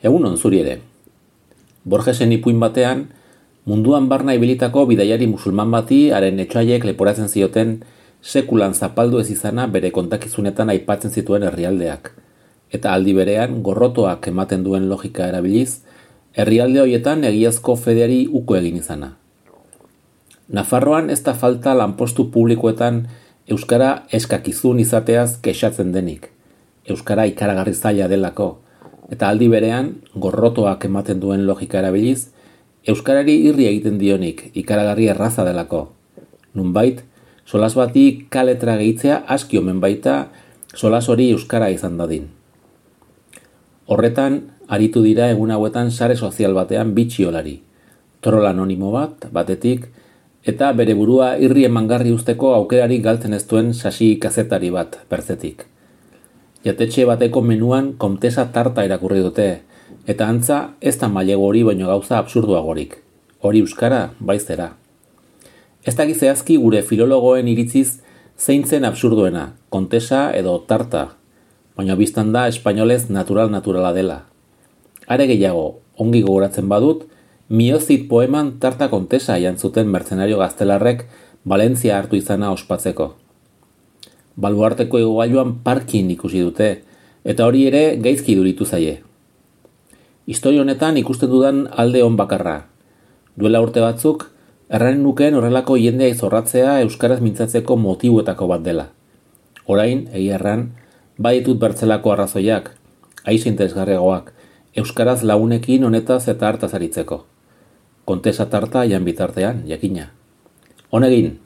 Egunon zuri ere. Borgesen ipuin batean, munduan barna ibilitako bidaiari musulman bati haren etxaiek leporatzen zioten sekulan zapaldu ez izana bere kontakizunetan aipatzen zituen herrialdeak. Eta aldi berean, gorrotoak ematen duen logika erabiliz, herrialde horietan egiazko fedeari uko egin izana. Nafarroan ez da falta lanpostu publikoetan euskara eskakizun izateaz kexatzen denik. Euskara ikaragarri zaila delako, eta aldi berean, gorrotoak ematen duen logika erabiliz, euskarari irri egiten dionik ikaragarri erraza delako. Nunbait, solas bati kaletra gehitzea aski omen baita solas hori euskara izan dadin. Horretan, aritu dira egun hauetan sare sozial batean bitxiolari, trol anonimo bat, batetik, eta bere burua irri emangarri usteko aukerari galtzen ez duen sasi kazetari bat, bertzetik. Jatetxe bateko menuan komtesa tarta irakurri dute, eta antza ez da mailego hori baino gauza absurduagorik. Hori euskara, baizera. Ez dakiz zehazki gure filologoen iritziz zein zen absurduena, kontesa edo tarta, baina biztan da espainolez naturala dela. Are gehiago, ongi gogoratzen badut, Miozit poeman tarta kontesa jantzuten mercenario gaztelarrek Valentzia hartu izana ospatzeko. Baluarteko igogailuan parkin ikusi dute, eta hori ere gaizki duritu zaie. Historia honetan ikusten dudan alde on bakarra. Duela urte batzuk, erranen nukeen horrelako jendea izorratzea euskaraz mintzatzeko motibuetako bat dela. Orain, egia erran, baditut bertzelako arrazoiak, aiz interesgarriagoak, euskaraz lagunekin honetaz eta hartaz aritzeko. Kontesa tarta jan bitartean, jakina. Honegin!